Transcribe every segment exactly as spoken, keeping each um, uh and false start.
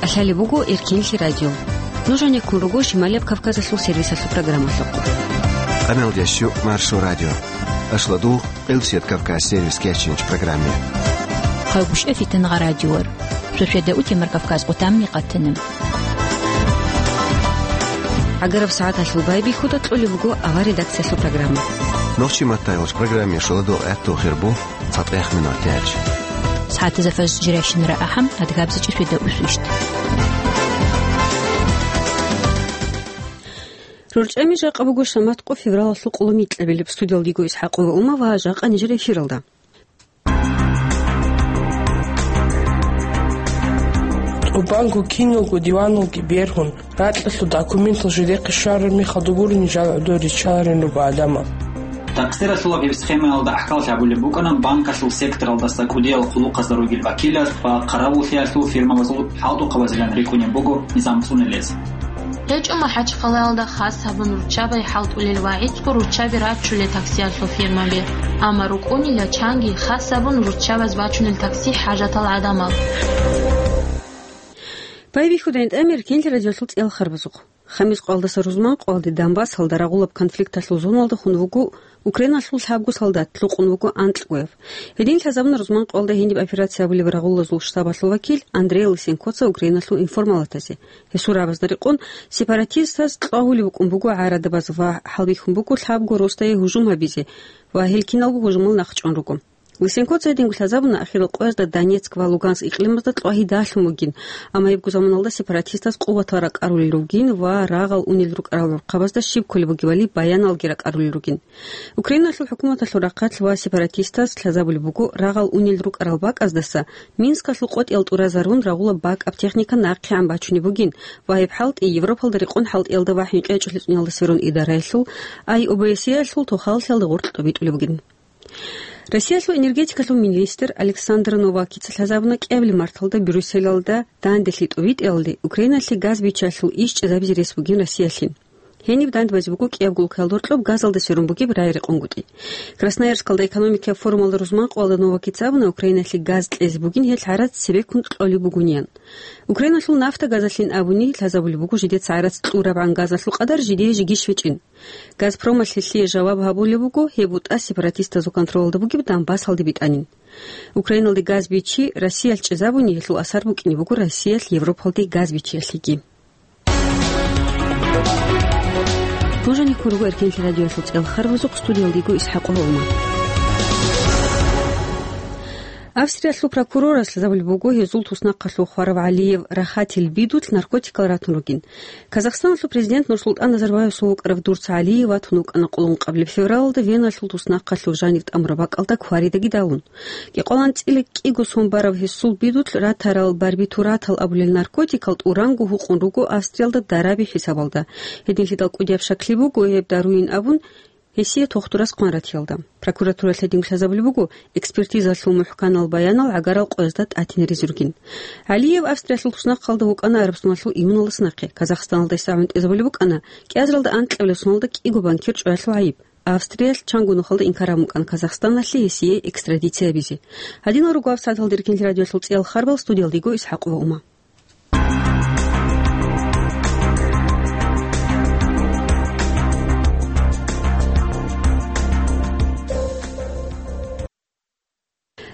КӀалъалеб буго Эркенлъи радио. Нуж гьанеккун руго Шималияб Кавказалъул сервисалъул программалъухъ. Къаналдящу Маршо радио. Ашладу Къилсият Кавказ сервис кечинч программе. Хъагушев Фитангъа радиор. Шошеда утемар Кавказ къутамни къатана. ГӀагараб сагӀаталъул байбихьуда кьолеб буго авар редакциялъул программа. Нохчи маттайгъуш программе шоладу гӀатту хирбу. ЦатӀехъ минутач. СагӀатазда фажр жирайщинара ахӀам, адгабзичӀи шведа усвищт. РорчӀами жакъа буго шамат къо февралалъул къоло микьабилеб. Студиялдиго Исхакъова Ума ва жакъа нижер эфиралда. ТӀубанго киналго диваналги бергьун, ракьалъул документал жидехъе щвараб мехалда гурони жал гӀодор риччаларин руго гӀадамал. Такъсиралъулаб гьеб схемаялда гӀахьаллъи гьабулеб букӀана банкалъул секторалдаса кӀудиял хъулухъазда ругел вакилаз ва хъаравуллъиялъул фирмабазул хӀалтӀухъабазилан рикӀкӀунеб буго низам цӀунулез. ГьечӀо МахӀачхъалаялда хас гьабун руччабай хӀалтӀулел ва гӀицӀго руччаби раччулел таксиялъул фирмаби, амма рукӀунила чанги хас гьабун руччабаз бачунел такси хӀажатал гӀадамал. Байбихьуда гӀинтӀамир Эркенлъи радиолъул цӀел харбазухъ. Хамис къоялдаса рузман къоялде Донбассалда рагъулаб конфликталъул зоналда хун вуго Украиналъул лъабго солдат, лъукъун вуго анкьгояб. Гьедин лъазабуна рузман къоялда гьениб операция абулеб рагъулазул штабалъул вакил Андрей Лысенкоца Украиналъул информалатазе. Гьесул рагӀабазда рекъон, сепаратистаз кьвагьулеб букӀун буго гӀарадабаз ва хӀалбихьун буго лъабго росдае гьужум гьабизе ва гьел киналго гьужумал нахъчӀван руго. Лысенкоца гьединго лъазабуна ахирал къоязда Донецк ва Луганск икълимазда кьвагьи далъун бугин, амма гьебго заманалда сепаратистаз къуватал ракӀарулел ругин ва рагъал унел рукӀарал рухъабазда щиб кколеб бугебали баяналги ракӀарулел ругин. Украиналъул хӀукуматалъул рахъалъ ва сепаратистаз лъазабулеб буго рагъал унел рукӀарал бакӀаздаса Минскалъул къотӀиял тӀуразарун рагъулаб бакӀаб техника нахъегӀан бачунеб бугин ва гьеб хӀалтӀи Европалда рекъон хӀалтӀиялда ва хӀинкъи гьечӀолъи цӀуниялдаса рун идараялъул, ай ОБСЕ-ялъул тохаллъиялда гъоркьа тӀубитӀулеб бугин. Россиялъул энергетикалъул министр Александр Новакица лъазабуна кӀиабилеб марталда Брюсселалда данделъи тӀубитӀиялде Украиналъе газ биччалъул иш чӀезабизе рес бугин Россиялъе. Гьениб дандбазе буго кӀиябго улкаялда гьоркьоб газалда сверун бугеб рагӀи-рекъонгутӀи. Красноярскалда экономикаяб форумалда рузман къоялда Новакица абуна, Украиналъе газ кьезе бугин гьел гӀарац цебеккун кьолеб бугониан. Украиналъул нафта газалъин абуни лъазабулеб буго жидеца гӀарац кьурабгӀан газалъул къадар жидее жеги щвечӀин. Газпромалъ гьелъие жаваб гьабулеб буго, гьеб бутӀа сепаратистазул контролалда бугеб Донбассалде битӀанин. Украиналде газ бичи Россиялъ чӀезабуни, гьелъул асар букӀине буго Россиялъ Европалде газ бичиялъеги. Нужениккун руго Эркенлъи радиоялъул цӀел харбазухъ, студиялдиго Исхакъова Ума. Австриялъул прокурорас лъазабулеб буго гьезул туснахъалъув хварав ГӀалиев Рахатил бидулъ наркотикал ратун ругин. Казахстаналъул президент НурсултӀан Назарбаевасул вукӀарав Дурц ГӀалиев ватун вукӀана къулун къаблеб февралалда Веналъул туснахъалъув жанив тӀамураб бакӀалда кваридаги далун. КӀикъоялда анцӀила кӀиго сон бараб гьесул бидулъ ратарал барбитуратал абулел наркотикал тӀуранго гьукъун руго Австриялда дараби хӀисабалда. Гьединлъидал кӀудияб щаклъи буго гьеб даруин абун, гьесие тохтурас хъван ратиялда. Прокуратуралъ гьединго лъазабулеб буго, экспертизалъул мухӀканал баянал гӀагарал къоязда тӀатине ризургин. ГӀалиев Австриялъул туснахъалда вукӀана Арабсуналъул июналдаса нахъе. Казахстаналда гьесда гӀунтӀизабулеб букӀана кӀиазаралда анкьабилеб соналда кӀиго банкир чӀваялъул гӀайиб. Австриялъ чанго нухалда инкар гьабун букӀана Казахстаналъе гьесие экстрадиция гьабизе. Гьадинал руго гьаб сагӀаталда Эркенлъи радиоялъул цӀиял харбал, студиялдиго Исхакъова Ума.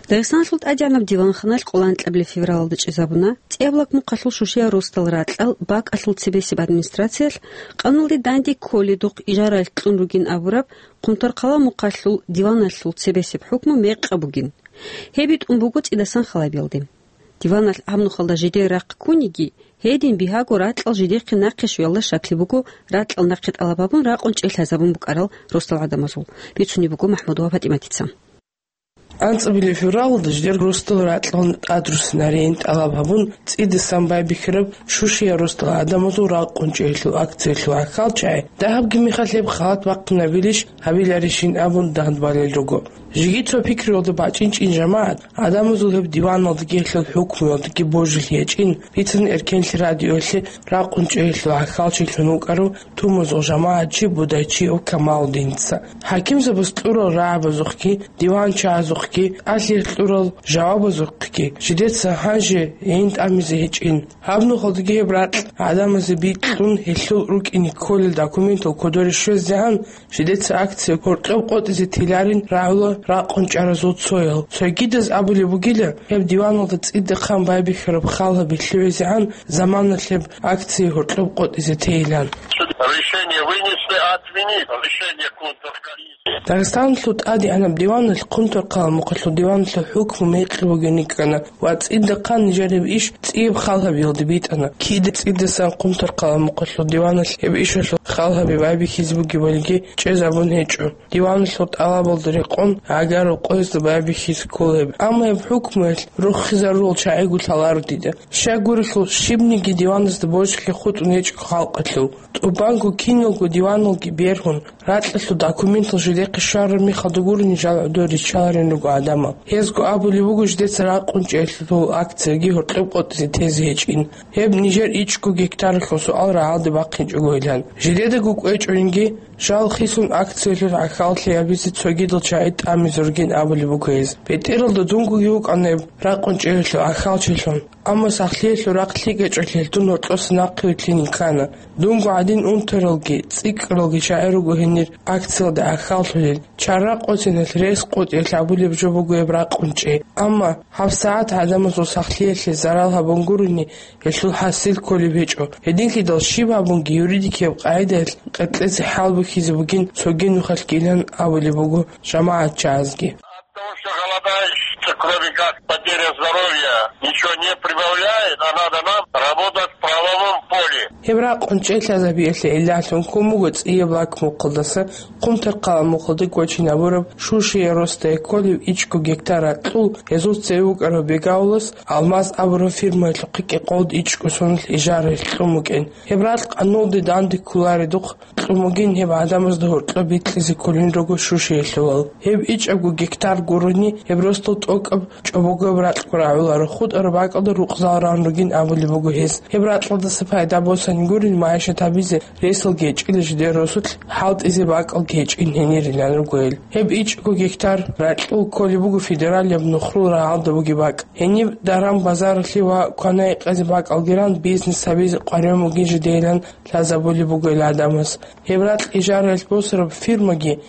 Дагъистаналъул тӀадегӀанаб диванханалъ къоло анкьабилеб февралалда чӀезабуна ЦӀяблак мухъалъул Шушиял росдал ракьал бакӀалъул цебесеб администрациялъ, къаналде данде кколедухъ ижаралъ кьун ругин абураб Хъунтархъала мухъалъул диваналъул цебесеб хӀукму мекъа бугин. Гьеб битӀун буго цӀидасан халабиялде. Диваналъ гьаб нухалда жидер рахъ ккуниги, гьедин бигьаго ракьал жидехъе нахъе щвеялда щаклъи буго, ракьал нахъе тӀалаб гьабун ракъун чӀей лъазабун букӀарал росдал гӀадамазул, бицунеб буго МахӀмудова ПатӀиматица. АнцӀабилеб февралалда жидер росдал ракьалда тӀадрусинарейин тӀалаб гьабун, цӀидасан байбихьараб Шушиял росдал гӀадамазул ракъун чӀеялъул акциялъул гӀахьалчагӀи, дагьабги мехалъ гьеб халат бахъинабилищ гьабиларищин абун дандбалел руго. Жеги цо пикруялда бачӀинчӀин жамагӀат, гӀадамазул гьеб диваналдаги гьелъул хӀукмуялдаги божилъи гьечӀин, бицана Эркенлъи радиоялъе ракъун чӀеялъул гӀахьалчилъун вукӀарав тумузул жамагӀатчи Будайчиев Камалудиница. ХӀакимзабаз кьурал рагӀабазухъги, диванчагӀазухъ Алъи кьурал жавабазухъги жидеца гьанже гӀин тӀамизе гьечӀин. Гьаб нухалдаги гьеб ракь гӀадамазе бикьун, гьелъул рукӀине кколел документал кодоре щвезегӀан, жидеца акция гьоркьоб къотӀизе теларин рагӀула ракъун чӀаразул цоял. Цогидаз абулеб бугила, гьеб диваналда цӀидахъан байбихьараб хал гьаби лъугӀизегӀан заманалъ гьеб акция гьоркьоб къотӀизе тейилан. Решение вынесли отменить решение контркомиссии. Дагъистаналъул ТӀадегӀанаб диваналъ Хъумторкъала мухъалъул диваналъул хӀукму мекъи бугин рикӀкӀана ва цӀидахъан нижер гьеб иш цӀияб хал гьабиялде битӀана. Кида цӀидасан Хъумторкъала мухъалъул диваналъ гьеб ишалъул хал гьаби байбихьизе бугебалиги чӀезабун гьечӀо. Диваналъул тӀалабалда рекъон гӀагарал къоязда байбихьизе ккола гьеб. Амма гьеб хӀукмуялъ рохизарурал чагӀиго лъаларо дида. Щайгурелъул щибниги диваназда божиги хутӀун гьечӀо халкъалъул. ТӀубанго киналго диваналги бергьун, ракьалъул документал жидехъе щвараб мехалда гурони жал гӀодор риччаларин руго гӀадамал. Гьезго абулеб буго жидеца ракъун чӀеялъул акцияги гьоркьоб къотӀизе тезе гьечӀин. Гьеб нижер ичӀго гектаралъул суал рагӀалде бахъинчӀогойилан. Жидедаго кӀвечӀойинги, жал хисун акциялъул гӀахьаллъи гьабизе цогидал чагӀи тӀамизе ругин абулеб буго гьез. БетӀералда дунгоги вукӀана гьеб ракъун чӀеялъул гӀахьалчилъун. Амма сахлъиялъул рахъ лъикӀ гьечӀолъи гьелдун гьоркьоса нахъе вилълъинин ккана. Дунго гӀадин унтаралги, цӀикӀкӀаралги чагӀи руго гьенир акциялда гӀахьаллъулел. Чара къосиналъ рес къотӀиялъ абулеб жо буго гьеб ракъун чӀей. Амма гьабсагӀат гӀадамазул сахлъиялъе зарал гьабун гурони, гьелъул хӀасил кколеб гьечӀо. Гьединлъидал щиб гьабунги юридикияб къагӀидаялъ къеркьезе хӀал бухьизе бугин цоги нухалъгилан абулеб буго жамагӀатчагӀазги. От того, что голодаешь, кроме как потеря здоровья, ничего не прибавляет, а надо нам работать в правовом поле. Гьеб ракъун чӀей лъазабиялъе гӀиллалъун ккун буго цӀияб лакмухъалдаса Хъумторкъала мухъалда гочинабураб Шушияе росдае кколеб ичӀго гектар ракьул гьезул цеве вукӀарав Бегаулас Алмаз абураб фирмаялъухъе кӀикъоялда ичӀго соналъ ижаралъ кьун букӀин. Гьеб ракь къануналде данде кколаредухъ кьун бугин, гьеб гӀадамазда гьоркьоб бикьизе кколин руго Шушиялъулал. Гьеб ичӀабго гектар гурони, гьеб росдал тӀокӀаб чӀобогояб ракьго рагӀуларо, хутӀараб бакӀалда рукъзал ран ругин абулеб буго гьес. Гьеб ракьалдаса пайда босани гурин, магӀишат гьабизе ресалги гьечӀила жидер росулъ, хӀалтӀизе бакӀалги гьечӀин гьенирилан руго гьел. Гьеб ичӀго гектар ракьул кколеб буго федералияб Нухрул рагӀалда бугеб бакӀ. Гьениб даран-базаралъе ва квана-гьекъезе бакӀалги ран бизнес гьабизе къваригӀун бугин жидейилан лъазабулеб буго гьел гӀадамаз. Гьеб ракь ижаралъ босараб фирмаги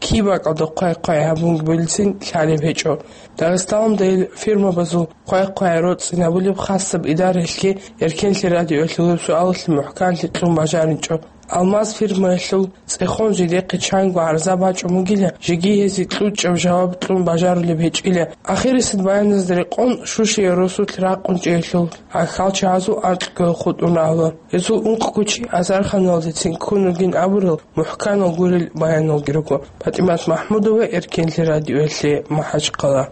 киб бакӀалда хъвай-хъвай гьабунги бугилан лъалеб гьечӀо. Дагъистаналда гьел фирмабазул хъвай-хъвай роцӀцӀинабулеб хасаб идараялъги Эркенлъи радиоялъул гьеб суалалъе мухӀканлъи кьун бажаричӀо. Алмаз фирмаялъул цӀехон жидехъе чанго гӀарза бачӀун бугила, жеги гьезие кьучӀаб жаваб кьун бажарулеб гьечӀила. Ахирисеб баяназда рекъон Шушияе росулъ ракъун чӀеялъул гӀахьалчагӀазул анкьго хутӀун рагӀула. Гьезул ункъго чи азарханалдецин ккун ругин абурал мухӀканал гурел баяналги руго. ПатӀимат МахӀмудова, Эркенлъи радиоялъе, МахӀачхъала.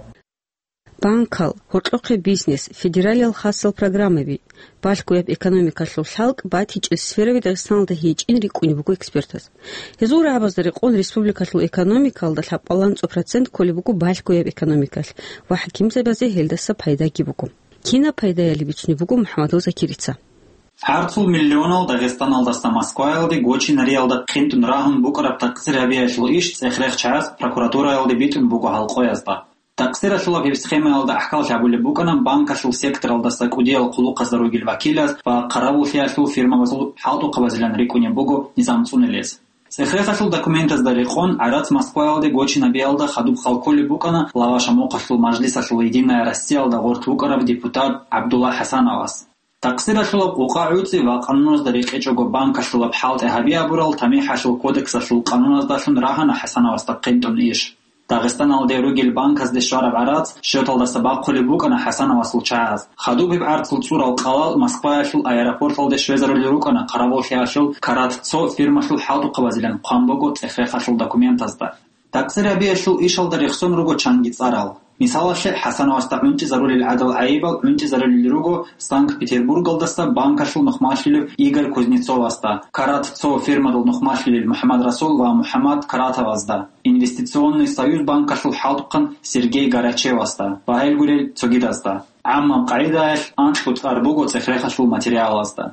Банкал, гьоркьохъеб бизнес, федералиял хасал программаби, балъгояб экономикалъул хӀалкӀ батичӀеб сфераби Дагъистаналда гьечӀин рикӀкӀунеб буго экспертаз. Гьезул рагӀабазда рекъон республикалъул экономикалда лъабкъоялда цо процент кколеб буго балъгояб экономикалъ ва хӀакимзабазе гьелдаса пайдаги буго. Кинаб пайдаялъ бицунеб буго МухӀаммадов Закирица. ГӀарцул миллионал Дагъистаналдаса Москваялде гочинариялда хъинтӀун рагьун букӀараб такъсир гьабиялъул иш цӀех-рех чагӀаз прокуратураялде битӀун буго гьал къоязда. Такъсиралъулаб гьеб схемаялда гӀахьаллъи гьабулеб букӀана банкалъул секторалдаса кӀудиял хъулухъазда ругел вакилаз ва хъаравуллъиялъул фирмабазул хӀалтӀухъабазилан рикӀкӀунеб буго низам цӀунулез. ЦӀех-рехалъул документазда рекъон, гӀарац Москваялде гочинабиялда хадуб хал кколеб букӀана Лавашамухъалъул мажлисалъул «Единая Россиялда» гъорлъ вукӀарав депутат ГӀабдулла ХӀасановас. Такъсиралъулаб къукъа гӀуцӀи ва къануназда рекъечӀого банкалъулаб хӀалтӀи гьаби абурал ТамихӀалъул кодексалъул къануназдалъун рагьана ХӀасановасда хъинтӀун иш. Дагъистаналде ругел банказде щвараб гӀарац счеталдаса бахъулеб букӀана ХӀасановасул чагӀаз. Хадуб гьеб гӀарцул цӀурал къалал Москваялъул аэропорталде щвезарулел рукӀана хъаравуллъиялъул «Карат цо» фирмалъул хӀалтӀухъабазилан хъван буго цӀех-рехалъул документазда. Такъсир гьабиялъул ишалда рехсон руго чанги цӀарал. Мисалалъе, ХӀасановасда гӀунтӀизарулел гӀадал гӀайибал гӀунтӀизарулел руго Санкт-Петербургалдаса банкалъул нухмалъулев Игорь Кузнецовасда, «Карат цо» фирмалъул нухмалъулел МухӀаммад Расул ва МухӀаммад Каратовазда, «Инвестиционный союз» банкалъул хӀалтӀухъан Сергей Гарачевасда ва гьел гурел цогидазда. ГӀаммаб къагӀидаялъ анкьго цӀар буго цӀех-рехалъул материалазда.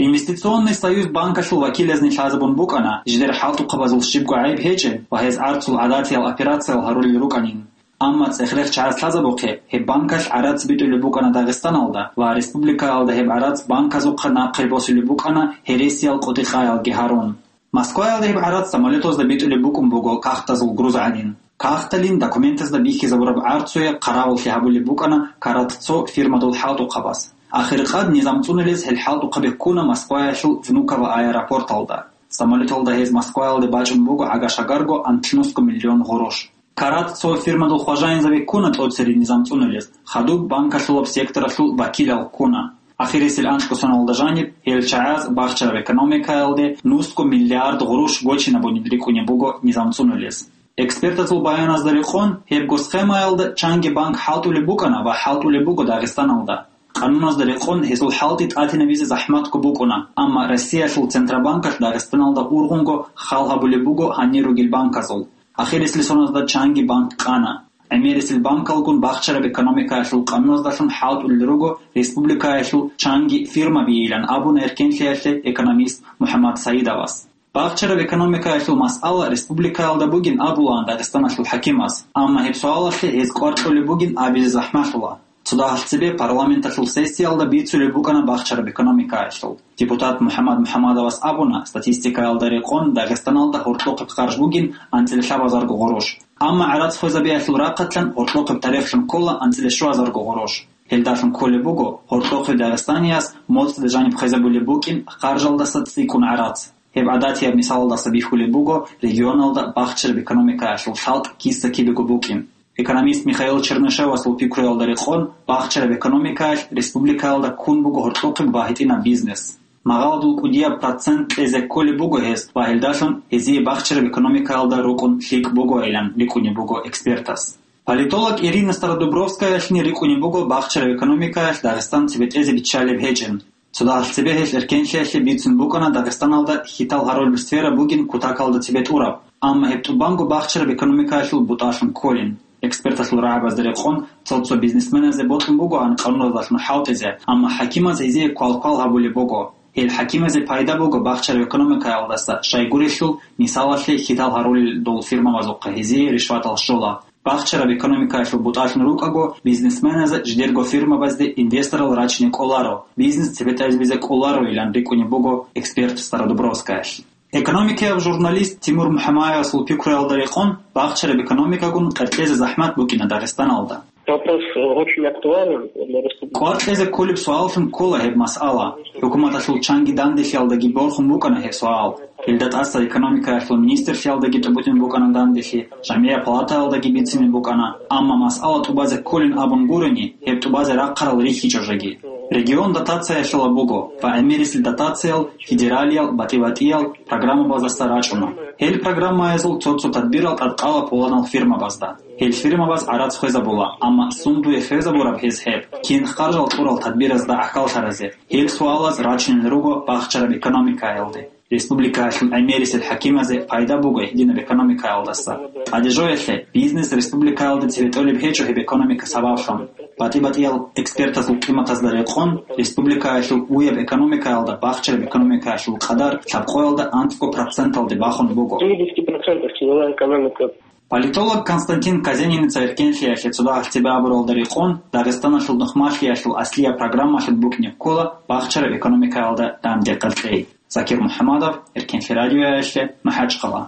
«Инвестиционный союз» банкалъул вакилазни лъазабун букӀана, жидер хӀалтӀухъабазул щибго гӀайиб гьечӀеб ва гьез гӀарцул гӀадатиял операциял гьарулел рукӀанин. Амма цӀех-рех чагӀаз лъазабухъе, гьеб банкалъ гӀарац битӀулеб букӀана Дагъистаналда ва республикаялда гьеб гӀарац банказухъа нахъе босулеб букӀана гьересиял къотӀи-къаялги гьарун. Москваялда гьеб гӀарац самолетазда битӀулеб букӀун буго кагътазул груз гӀадин. Кагъталин документазда бихьизабураб гӀарцуе хъаравуллъи гьабулеб букӀана карат цо фирмадул хӀалтӀухъабаз. Ахиркъад низам цӀунулез гьел хӀалтӀухъаби ккуна Москваялъул Внуково аэропорталда. Самолеталда гьез Москваялде бачӀун буго гӀага-шагарго анлънусго миллион гъурущ. Карат цо фирмадул хважаинзаби ккуна тӀоцере низам цӀунулез, хадуб банкалъулаб секторалъул вакилал ккуна. Ахирисел анкьго соналда жаниб гьел чагӀаз бахчараб экономикаялде нусго миллиард гъурущ гочинабунин рикӀкӀунеб буго низам цӀунулез. Экспертазул баяназда рекъон, гьебго схемаялда чанги банк хӀалтӀулеб букӀана ва хӀалтӀулеб буго Дагъистаналда. Къануназда рекъон гьезул хӀалтӀи тӀатинабизе захӀматго букӀуна, амма Россиялъул Центробанкалъ Дагъистаналда ургъунго хал гьабулеб буго гьанир ругел банказул. Ахирисел соназда чанги банк къана. ГӀемерисел банкалгун бахчараб экономикаялъул къануназдалъун хӀалтӀулел руго республикаялъул чанги фирмабийилан абуна эркенлъиялъе экономист МухӀаммад Саидовас. Бахчараб экономикаялъул масъала республикаялда бугин абулаан Дагъистаналъул хӀакимас, амма гьеб суалалъе гьез кӀвар кьолеб бугин абизе захӀмалъула. Цо дагьалъ цебе парламенталъул сессиялда бицулеб букӀана бахчараб экономикаялъул. Депутат МухӀаммад МухӀаммадовас абуна, статистикаялда рекъон Дагъистаналда гьоркьохъеб харж бугин анцӀила лъабазарго гъурущ. Амма гӀарац хвезабиялъул рахъалъан гьоркьохъеб тарихлъун ккола анцӀила щуазарго гъурущ. Гьелдалъун кколеб буго гьоркьохъеб дагъистанияс моцӀалда жаниб хвезабулеб букӀин харжалдаса цӀикӀкӀун гӀарац. Гьеб гӀадатияб мисалалдаса бихьулеб буго регионалда бахчараб экономикаялъул хӀалтӀ киса-кибего букӀин. Экономист Михаил Чернышевасул пикруялда рекъон, бахчараб экономикаялъ республикаялда ккун буго гьоркьохъеб ва гьитӀинаб бизнес. Магъаладул кӀудияб процент кьезе кколеб буго гьез ва гьелдалъун гьезие бахчараб экономикаялда рукӀун лъикӀ бугойилан рикӀкӀунеб буго экспертас. Политолог Ирина Стародубровскаялъни рикӀкӀунеб буго бахчараб экономикаялъ Дагъистан цебетӀезе биччалеб гьечӀин. Цо дагьалъ цебе гьелъ эркенлъиялъе бицун букӀана Дагъистаналда хьитал гьарулеб сфера бугин кутакалда цебетӀураб, амма гьеб тӀубанго бахчараб экономикаялъул бутӀалъун кколин. Эксперталъул рагӀабазда рекъон, цо-цо бизнесменазе бокьун бугоан къануназдалъун хӀалтӀизе, амма хӀакимаз гьезие квал-квал гьабулеб буго. Гьел хӀакимазе пайда буго бахчараб экономикаялдаса, щайгурелъул, мисалалъе, хьитал гьарулел дол фирмабазухъа гьезие ришватал щола. Бахчараб экономикаялъул бутӀалъун рукӀаго, бизнесменазе жидерго фирмабазде инвесторал рачине кӀоларо, бизнес цебетӀезабизе кӀолароилан рикӀкӀунеб буго эксперт Стародубровскаялъ. Экономикаяб журналист Тимур МухӀамаевасул пикруялда рекъон, бахчараб экономикагун къеркьезе захӀмат букӀина Дагъистаналда. Вопрос очень актуален для республики. КӀвар кьезе кколеб суаллъун ккола гьеб масъала. ХӀукуматалъул чанги данделъиялдаги борхун букӀана гьеб суал. Гьелда тӀаса экономикаялъул министрлъиялдаги тӀубутӀин букӀана данделъи, жамгӀияб палатаялдаги бицине букӀана, амма масъала тӀубазе кколин абун гурени, гьеб тӀубазе рахъарал рихьичӀо жеги. Регион дотациялъула буго ва гӀемерисел дотациял федералиял, батӀи-батӀиял программабаздаса рачӀуна. Гьел программаязул цо-цо тадбирал тӀадкъала пуланал фирмабазда. Гьел фирмабаз гӀарац хвезабула, амма сундуе хвезабураб гьез гьеб, кин харжал кьурал тадбиразда гӀахьаллъаразе? Гьел суалаз рачунел руго бахчараб экономикаялде. Республикаялъул гӀемерисел хӀакимазе пайда буго гьединаб экономикаялдаса. ТӀадежоялъе, бизнес республикаялда цебетӀолеб гьечӀо гьеб экономика сабаблъун. БатӀи-батӀиял экспертазул къиматазда рекъон, республикаялъул уяб экономикаялда бахчараб экономикаялъул къадар лъабкъоялда анцӀго проценталде бахун буго. Семидесяти процентов тяжелая экономика. Политолог Константин Казениница эркенлъиялъе цо дагьалъ цебе абуралда рекъон, Дагъистаналъул нухмалъиялъул аслияб программалъун букӀине ккола бахчараб экономикаялда данде къеркьей. Закир МухӀамадов, Эркенлъи радиоялъе, МахӀачхъала.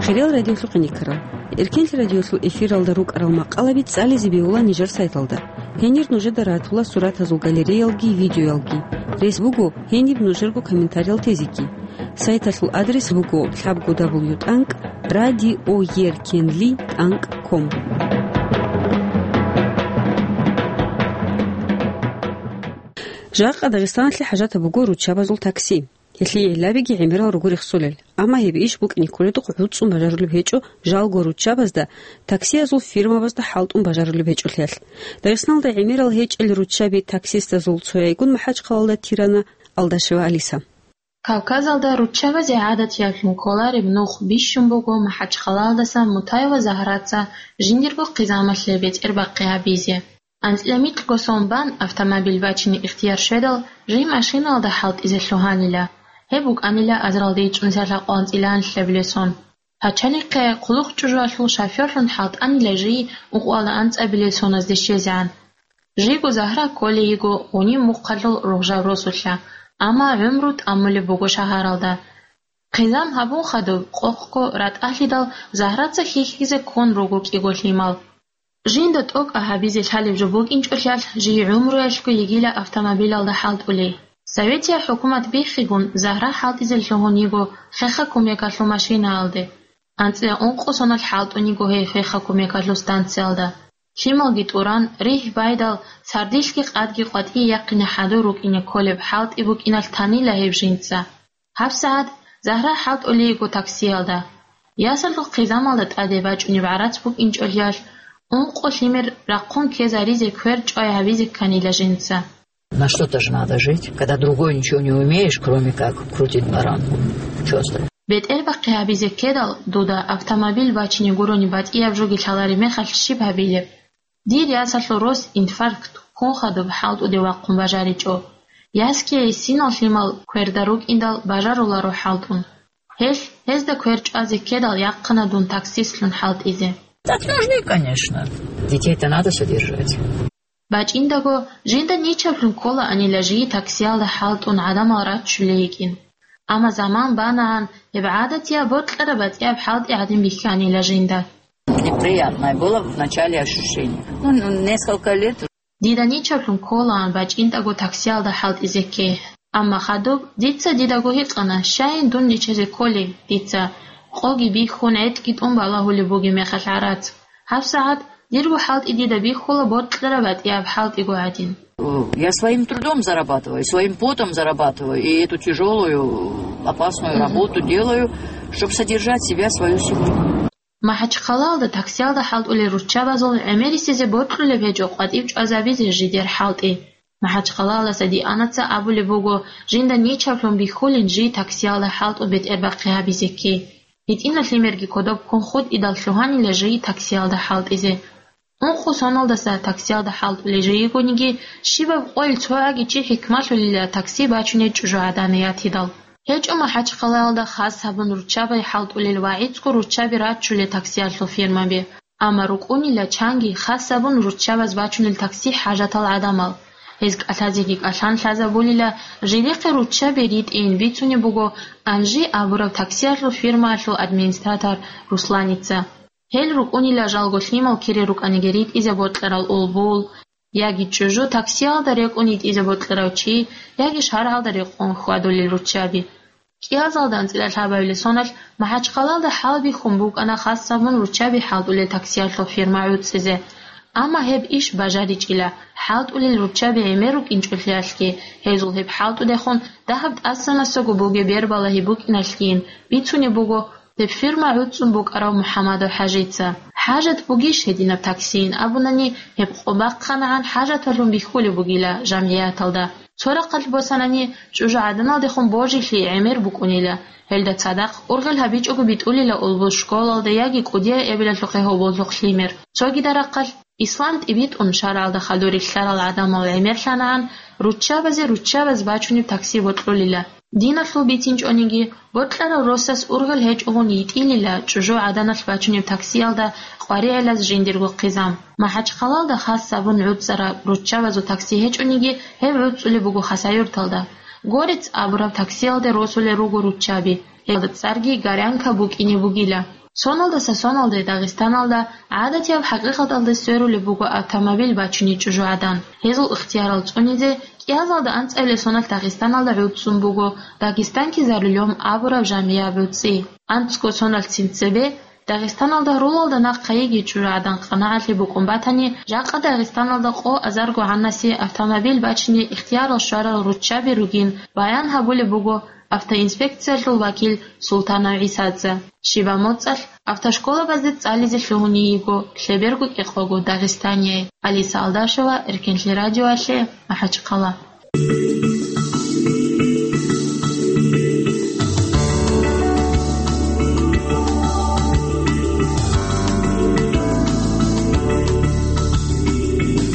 Хириял радиолъухъе никарал. Эркенлъи радиолъул эфиралда рукӀарал макъалаби цӀализе бегьула нижер сайталда. Гьенир нужеда ратула суратазул галереялги видеоялги. Рес буго гьениб нужерго комментариял тезеги. Сайталъул адрес буго лъабго дабл ю тӀанкӀ радиоеркенли тӀанкӀ ком. Жакъа Дагъистаналъе хӀажатаб буго руччабазул такси. Гьелъие гӀиллабиги гӀемерал руго рехсолел. Амма гьеб иш букӀине кколедухъ гӀуцӀун бажарулеб гьечӀо жалго руччабазда, таксиязул фирмабазда хӀалтӀун бажарулеб гьечӀолъиялъ. Дагъистаналда гӀемерал гьечӀел руччаби таксистазул цояйгун МахӀачхъалалда тирана Алдашева Алиса. Кавказалда руччабазе гӀадатиялъун кколареб нух бищун буго МахӀачхъалаялдаса Мутаева Загьраца жиндирго хъизамалъе бетӀербахъи гьабизе. АнцӀила микьго сон бан автомобиль бачине ихтияр щведал, жий машинаялда хӀалтӀизе лъугьанила. Гьеб букӀанила азаралде ичӀнусиялъа къванцӀила анлъабилеб сон. Пачалихъе хъулухъ чӀужуялъул шофёрлъун хӀалтӀанила жий ункъоялда анцӀабилеб соназде щвезегӀан. Жийго Загьра кколей йиго гъуниб мухъалъул ругъжаб росулъа, амма гӀумру тӀамулеб буго шагьаралда. Хъизан гьабун хадуб, къокъго ратӀалъидал, Загьраца хьихьизе ккун руго кӀиго лъимал. Жинда тӀокӀаб гьабизе лъалеб жо букӀинчӀолъиялъ, жий гӀумруялъго йигила автомобилалда хӀалтӀулей. Советиял хӀукумат биххигун, Загьра хӀалтӀизе лъугьун йиго хехго кумекалъул машинаялде. АнцӀила ункъо соналъ хӀалтӀун йиго гьей хехго кумекалъул станциялда. Лъималги тӀуран, ригь байдал, сардилъги къадги къватӀие яхъине хӀадур рукӀине кколеб хӀалтӀи букӀиналъ танила гьеб жинца. ГьабсагӀат Загьра хӀалтӀулей йиго таксиялда. Ясалъул хъизамалда тӀаде бачӀунеб гӀарац букӀинчӀолъиялъ, ункъо лъимер рахъун ккезаризе квер чӀвай гьабизе кканила жинца. На что-то же надо жить, когда другой ничего не умеешь, кроме как крутить баранку. Чё остальное? БетӀербахъи гьабизе ккедал, дуда автомобиль бачине гурони батӀияб жоги лъалареб мехалъ щиб гьабилеб? Дир ясалъул рос инфаркт ккун хадуб хӀалтӀуде вахъун бажаричӀо. Ясги гьесинал лъимал кверда рукӀиндал бажаруларо хӀалтӀун. Гьелъ, гьезда квер чӀвазе ккедал, яхъана дун таксистлъун хӀалтӀизе. Так нужны, конечно. Детей-то надо содержать. БачӀиндаго, жинда ничаблъун кколаанила жий таксиялда хӀалтӀун гӀадамал раччулей йикӀин. Амма заман банагӀан, гьеб гӀадатияб бокьараб батӀияб хӀалтӀи гӀадин бихьанила жинда. Неприятное было в начале ощущение. Ну, ну, несколько лет. Дида ничаблъун кколаан бачӀиндаго таксиялда хӀалтӀизе ккей. Амма хадуб дица дидаго гьикъана, щайин дун ничазе кколей дица, къоги бихьун, гӀетӀги тӀун балагьулеб бугеб мехалъ гӀарац. ГьабсагӀат дирго хӀалтӀи дида бихьула бокьараб батӀияб хӀалтӀиго гӀадин. Я своим трудом зарабатываю, своим потом зарабатываю, и эту тяжёлую, опасную работу делаю, чтоб содержать себя, свою семью. МахӀачхъалаялда таксиялда хӀалтӀулел руччабазул гӀемерисезе бокьулеб гьечӀо къватӀив чӀвазабизе жидер хӀалтӀи. МахӀачхъалаялдаса Дианаца абулеб буго, жинда ничаблъун бихьулин жий таксиялда хӀалтӀу бетӀербахъи гьабизе ккей. ГьитӀинал лъимерги кодоб ккун хутӀидал лъугьанила жий таксиялда хӀалтӀизе. Ункъо соналдаса таксиялда хӀалтӀулей жий йигониги, щибаб къойил цояги чи хӀикмалъулила такси бачуней чӀужугӀадан ятидал. ГьечӀо МахӀачхъалаялда хас гьабун руччабай хӀалтӀулел ва гӀицӀго руччаби раччулел таксиялъул фирмаби. Амма рукӀунила чанги хас гьабун руччабаз бачунел такси хӀажатал гӀадамал. Гьез кӀалъазеги кӀалъан лъазабулила, жидехъе руччаби ритӀейин бицунеб буго Анжи абураб таксиялъул фирмаялъул администратор Русланица. Гьел рукӀунила жалго лъимал кире рукӀаниги ритӀизе бокьарал улбул, яги чӀужу таксиялда рекӀун йитӀизе бокьарав чи, яги шаргӀалда рекъон хьвадулел руччаби. КӀиазалда анцӀила лъабабилеб соналъ МахӀачхъалаялда хӀалбихьун букӀана хас гьабун руччаби хӀалтӀулел таксиялъул фирма гӀуцӀизе. Амма гьеб иш бажаричӀила, хӀалтӀулел руччаби гӀемер рукӀинчӀолъиялъги, гьезул гьеб хӀалтӀудехун дагьаб тӀасанасаго бугеб бербалагьи букӀиналъгийин бицунеб буго гьеб фирма гӀуцӀун букӀарав МухӀаммадов ХӀажица. ХӀажат бугищ гьединаб таксийин абунани, гьеб къо бахъанагӀан хӀажаталъун бихьулеб бугила жамгӀияталда. Цо рахъалъ босанани, чӀужугӀаданалдехун божилъи гӀемер букӀунила. Гьелда цадахъ ургъел гьабичӀого битӀулила улбул школалда яги кӀудияй эбелалъухъе гьоболлъухъ лъимер. Цогида рахъалъ, ислам тӀибитӀун шаргӀалда хадур рилълъарал гӀадамал гӀемерлъанагӀан, руччабазе руччабаз бачунеб такси бокьулила. Диналъул бицинчӀониги, бокьарав росас ургъел гьечӀогъун йитӀилила чӀужугӀаданалъ бачунеб таксиялда къваригӀелаз жиндирго хъизан. МахӀачхъалаялда хас гьабун гӀуцӀараб руччабазул такси гьечӀониги, гьеб гӀуцӀулеб буго Хасавюрталда. Горец абураб таксиялде росулел руго руччаби. Гьелда цӀарги Горянка букӀине бугила. Соналдаса соналде Дагъистаналда гӀадатияб хӀакъикъаталде сверулеб буго автомобиль бачуней чӀужугӀадан. Гьезул ихтиярал цӀунизе кӀиазалда анцӀабилеб соналъ Дагъистаналда гӀуцӀцӀун буго «Дагестанки за рулём» абураб жамгӀияб гӀуцӀи. АнцӀго соналъцин цебе Дагъистаналда гьарулалда нахъа йигей чӀужугӀадан къанагӀалъи букӀун батани, жакъа Дагъистаналда къо азарго гӀанасие автомобиль бачине ихтиярал щварал руччаби ругин баян гьабулеб буго автоинспекциялъул вакил Султанов ГӀисаца. Щибаб моцӀалъ автошколабазде цӀализе лъугьуней йиго лъеберго кӀикъого дагъистанияй. Алиса Алдашева, Эркенлъи радиоялъе, МахӀачхъала.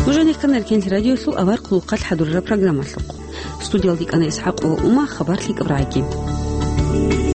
Нуж гьанихъан Эркенлъи радиоялъул авар хъулухъалъ хӀадурараб программалъухъ. Студиялде кӀана ИсхӀакъ ва Ума, хабар лъикӀаб рагӀиги.